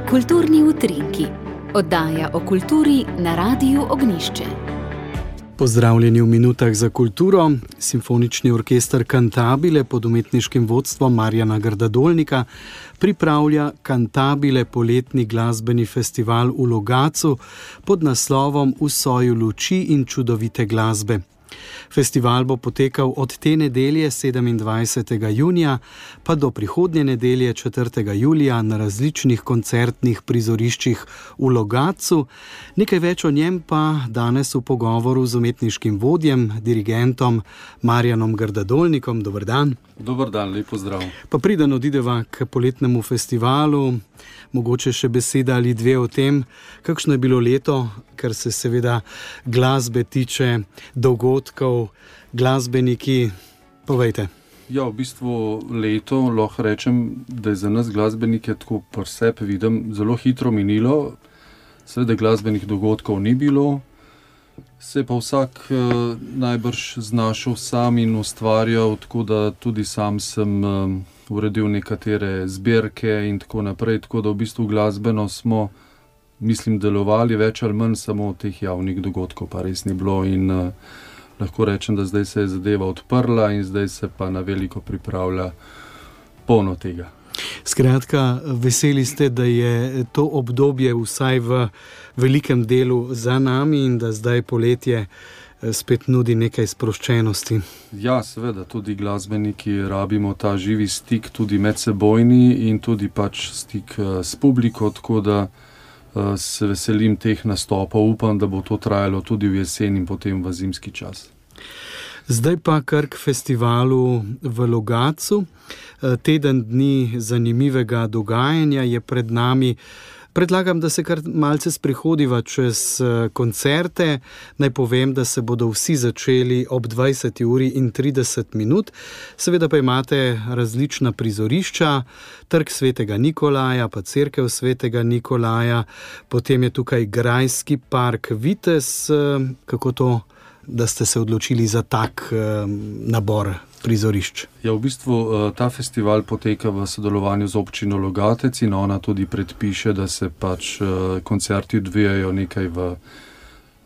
Kulturni utrinki. Oddaja o kulturi na Radiu Ognjišče. Pozdravljeni v minutah za kulturo. Simfonični orkester Cantabile pod umetniškim vodstvom Marjana Grdadolnika pripravlja Cantabile poletni glasbeni festival v Logatcu pod naslovom V soju luči in čudovite glasbe. Festival bo potekal od te nedelje 27. junija pa do prihodnje nedelje 4. julija na različnih koncertnih prizoriščih v Logatcu. Nekaj več o njem pa danes v pogovoru z umetniškim vodjem, dirigentom Marjanom Grdadolnikom. Dober dan. Dober dan, lep pozdrav. Pa preden odideva k poletnemu festivalu, mogoče še beseda ali dve o tem, kakšno je bilo leto, kar se seveda glasbe tiče, dogodkov, glasbeniki. Povejte. Ja, v bistvu leto, lahko rečem, da je za nas glasbenike tako pri sebi vidim zelo hitro minilo. Seveda glasbenih dogodkov ni bilo, se pa vsak najbrž znašel sam in ustvarjal, tako da tudi sam sem uredil nekatere zbirke in tako naprej, tako da v bistvu glasbeno smo, mislim, delovali več ali manj, samo teh javnih dogodkov pa res ni bilo in lahko rečem, da zdaj se je zadeva odprla in zdaj se pa na veliko pripravlja polno tega. Skratka, veseli ste, da je to obdobje vsaj v velikem delu za nami in da zdaj poletje spet nudi nekaj sproščenosti. Ja, seveda, tudi glasbeniki rabimo ta živi stik, tudi medsebojni in tudi pač stik s publiko, tako da se veselim teh nastopov, upam, da bo to trajalo tudi v jesen in potem v zimski čas. Zdaj pa kar k festivalu v Logatcu. Teden dni zanimivega dogajanja je pred nami. Predlagam, da se kar malce sprehodiva čez koncerte. Naj povem, da se bodo vsi začeli ob 20:30. Seveda pa imate različna prizorišča, Trg svetega Nikolaja, pa Cerkev svetega Nikolaja, potem je tukaj Grajski park Vitez. Kako to, da ste se odločili za tak nabor prizorišč? Ja, v bistvu ta festival poteka v sodelovanju z občino Logatec in ona tudi predpiše, da se pač koncerti odvijajo nekaj v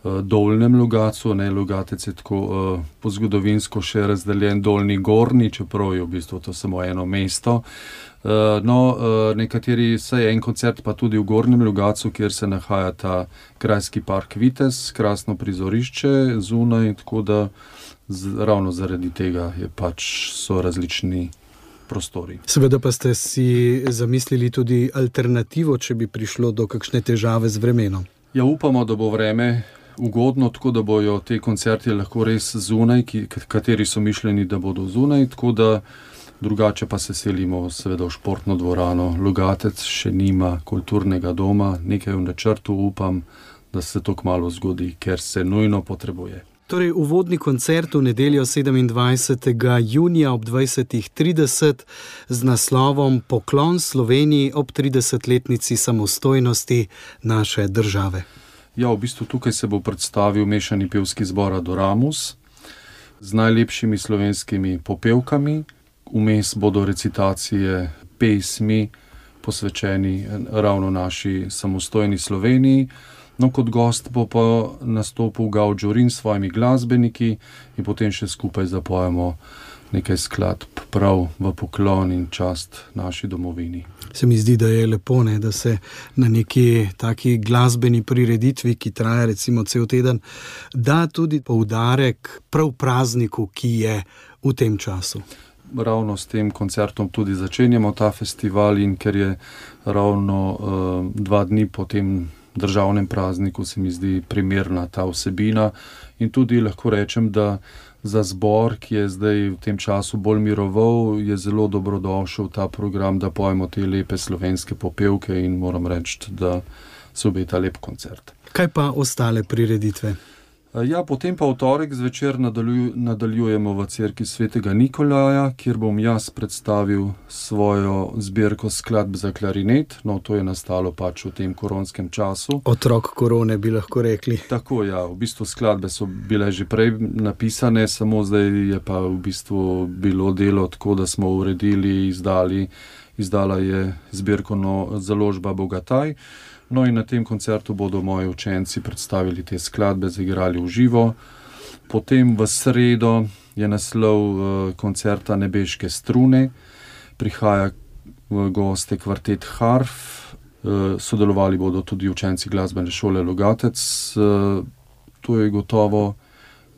Dolnjem Logatcu, ne, Logatec je tako po zgodovinsko še razdeljen Dolni Gornji, čeprav je v bistvu to samo eno mesto. Nekateri, saj en koncert pa tudi v Gornjem Logatcu, kjer se nahaja ta Grajski park Vitez, krasno prizorišče zunaj, tako da ravno zaradi tega so različni prostori. Seveda pa ste si zamislili tudi alternativo, če bi prišlo do kakšne težave z vremenom. Ja, upamo, da bo vreme ugodno, tako da bojo te koncerti lahko res zunaj, kateri so mišljeni, da bodo zunaj, tako da drugače pa se selimo seveda v športno dvorano. Logatec še nima kulturnega doma, nekaj v načrtu, upam, da se to kmalu zgodi, ker se nujno potrebuje. Torej, uvodni koncert v nedeljo 27. junija ob 20:30 z naslovom Poklon Sloveniji ob 30-letnici samostojnosti naše države. Ja, v bistvu tukaj se bo predstavil mešani pevski zbor Adoramus z najlepšimi slovenskimi popevkami. Vmes bodo recitacije pesmi posvečeni ravno naši samostojni Sloveniji. No, kot gost bo pa nastopil Gal Džurin s svojimi glasbeniki in potem še skupaj zapojemo nekaj skladb prav v poklon in čast naši domovini. Se mi zdi, da je lepo, da se na neki taki glasbeni prireditvi, ki traja recimo cel teden, da tudi poudarek prav prazniku, ki je v tem času. Ravno s tem koncertom tudi začenjamo ta festival in ker je ravno 2 dni po tem državnem prazniku, se mi zdi primerna ta vsebina in tudi lahko rečem, da za zbor, ki je zdaj v tem času bolj miroval, je zelo dobrodošel ta program, da pojemo te lepe slovenske popevke in moram reči, da se obeta lep koncert. Kaj pa ostale prireditve? Ja, potem pa v torek zvečer nadaljujemo v Cerkvi svetega Nikolaja, kjer bom jaz predstavil svojo zbirko skladb za klarinet. No, to je nastalo pač v tem koronskem času. Otrok korone bi lahko rekli. Tako, ja, v bistvu skladbe so bile že prej napisane, samo zdaj je pa v bistvu bilo delo tako, da smo uredili, izdali izdala je zbirko založba Bogataj. No in na tem koncertu bodo moji učenci predstavili te skladbe, zaigrali v živo. Potem v sredo je naslov koncerta Nebeške strune. Prihaja v goste kvartet Harf. Sodelovali bodo tudi učenci glasbene šole Logatec. To je gotovo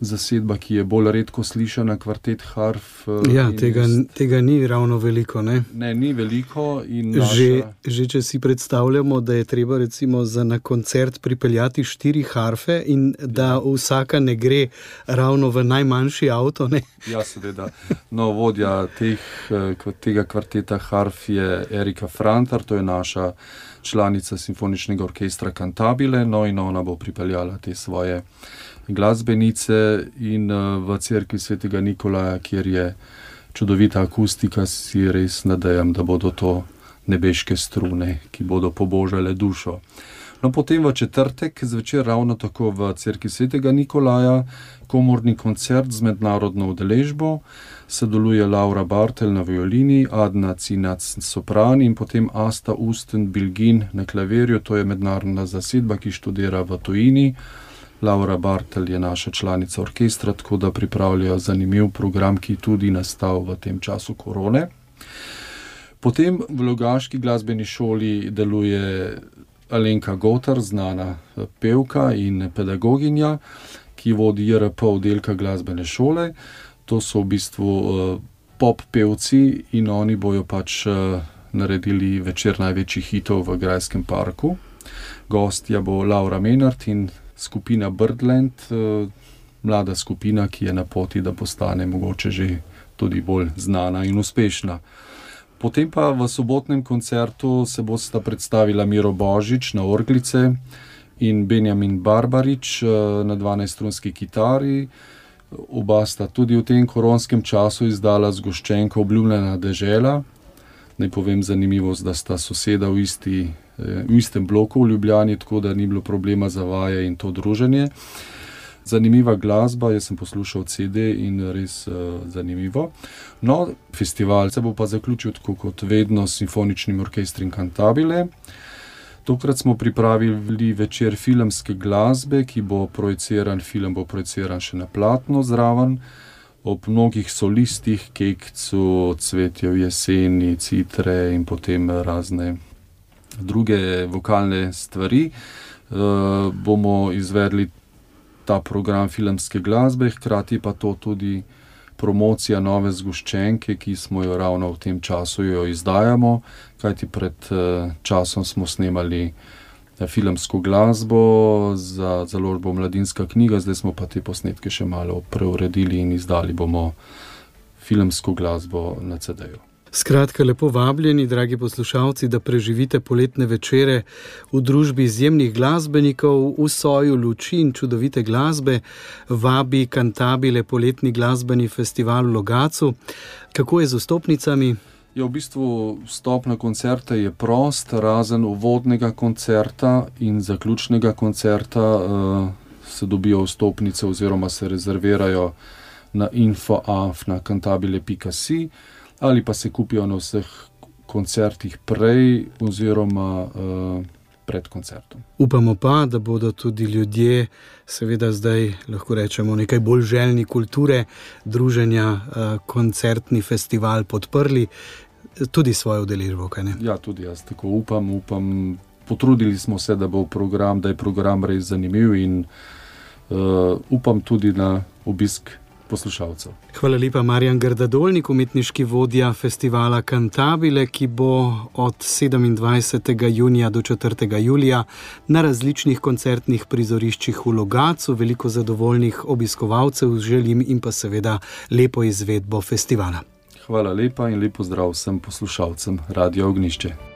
zasedba, ki je bolj redko slišana, kvartet Harf. Ja, tega ni ravno veliko, ne? Ne, ni veliko. In že če si predstavljamo, da je treba recimo na koncert pripeljati 4 harfe in da vsaka ne gre ravno v najmanjši avto, ne? Ja, seveda. No, vodja tega kvarteta Harf je Erika Frantar, to je naša članica Simfoničnega orkestra Cantabile, no in ona bo pripeljala te svoje glasbenice in v cerkvi Svetega Nikolaja, kjer je čudovita akustika, si res nadejam, da bodo to nebeške strune, ki bodo pobožale dušo. No, potem v četrtek zvečer ravno tako v cerkvi Svetega Nikolaja komorni koncert z mednarodno udeležbo. Sodeluje Laura Bartel na violini, Adna Cinac sopran in potem Asta Usten-Bilgin na klavirju. To je mednarodna zasedba, ki študira v tujini. Laura Bartel je naša članica orkestra, tako da pripravljajo zanimiv program, ki tudi nastal v tem času korone. Potem v Logaški glasbeni šoli deluje Alenka Gotar, znana pevka in pedagoginja, ki vodi JRP oddelka glasbene šole. To so v bistvu pop pevci in oni bojo pač naredili večer največjih hitov v Grajskem parku. Gostja bo Laura Menard in skupina Birdland, mlada skupina, ki je na poti, da postane mogoče že tudi bolj znana in uspešna. Potem pa v sobotnem koncertu se bosta predstavila Miro Božič na orglice in Benjamin Barbarič na 12-strunski kitari. Oba sta tudi v tem koronskem času izdala zgoščenko Obljubljena dežela. Naj povem zanimivost, da sta soseda v istem bloku v Ljubljani, tako da ni bilo problema za vaje in to druženje. Zanimiva glasba, jaz sem poslušal CD in res zanimivo. No, festival se bo pa zaključil tako kot vedno s Simfoničnim orkestrom Cantabile. Tokrat smo pripravili večer filmske glasbe, ki bo projiciran, film bo projiciran še na platno zraven, ob mnogih solistih, Kekcu, Cvetje v jeseni, Citre in potem razne druge vokalne stvari. Bomo izvedli ta program filmske glasbe, hkrati pa to tudi promocija nove zgoščenke, ki smo jo ravno v tem času jo izdajamo, kajti pred časom smo snemali filmsko glasbo za založbo Mladinska knjiga, zdaj smo pa te posnetke še malo preuredili in izdali bomo filmsko glasbo na CD-ju. Skratka, lepo vabljeni, dragi poslušalci, da preživite poletne večere v družbi izjemnih glasbenikov, v soju luči in čudovite glasbe. Vabi Cantabile poletni glasbeni festival v Logatcu. Kako je z vstopnicami? Ja, v bistvu vstop na koncerte je prost, razen uvodnega koncerta in zaključnega koncerta se dobijo vstopnice oziroma se rezervirajo na info@cantabile.si ali pa se kupijo na vseh koncertih prej oziroma pred koncertom. Upamo pa, da bodo tudi ljudje, seveda zdaj lahko rečemo nekaj bolj željni kulture, druženja, koncertni festival podprli, tudi svojo udeležbo, kaj ne? Ja, tudi jaz tako upam. Potrudili smo se, da je program res zanimiv in upam tudi na obisk poslušalcev. Hvala lepa, Marjan Grdadolnik, umetniški vodja festivala Cantabile, ki bo od 27. junija do 4. julija na različnih koncertnih prizoriščih v Logatcu. Veliko zadovoljnih obiskovalcev želim in pa seveda lepo izvedbo festivala. Hvala lepa in lepo zdrav vsem poslušalcem Radia Ognjišče.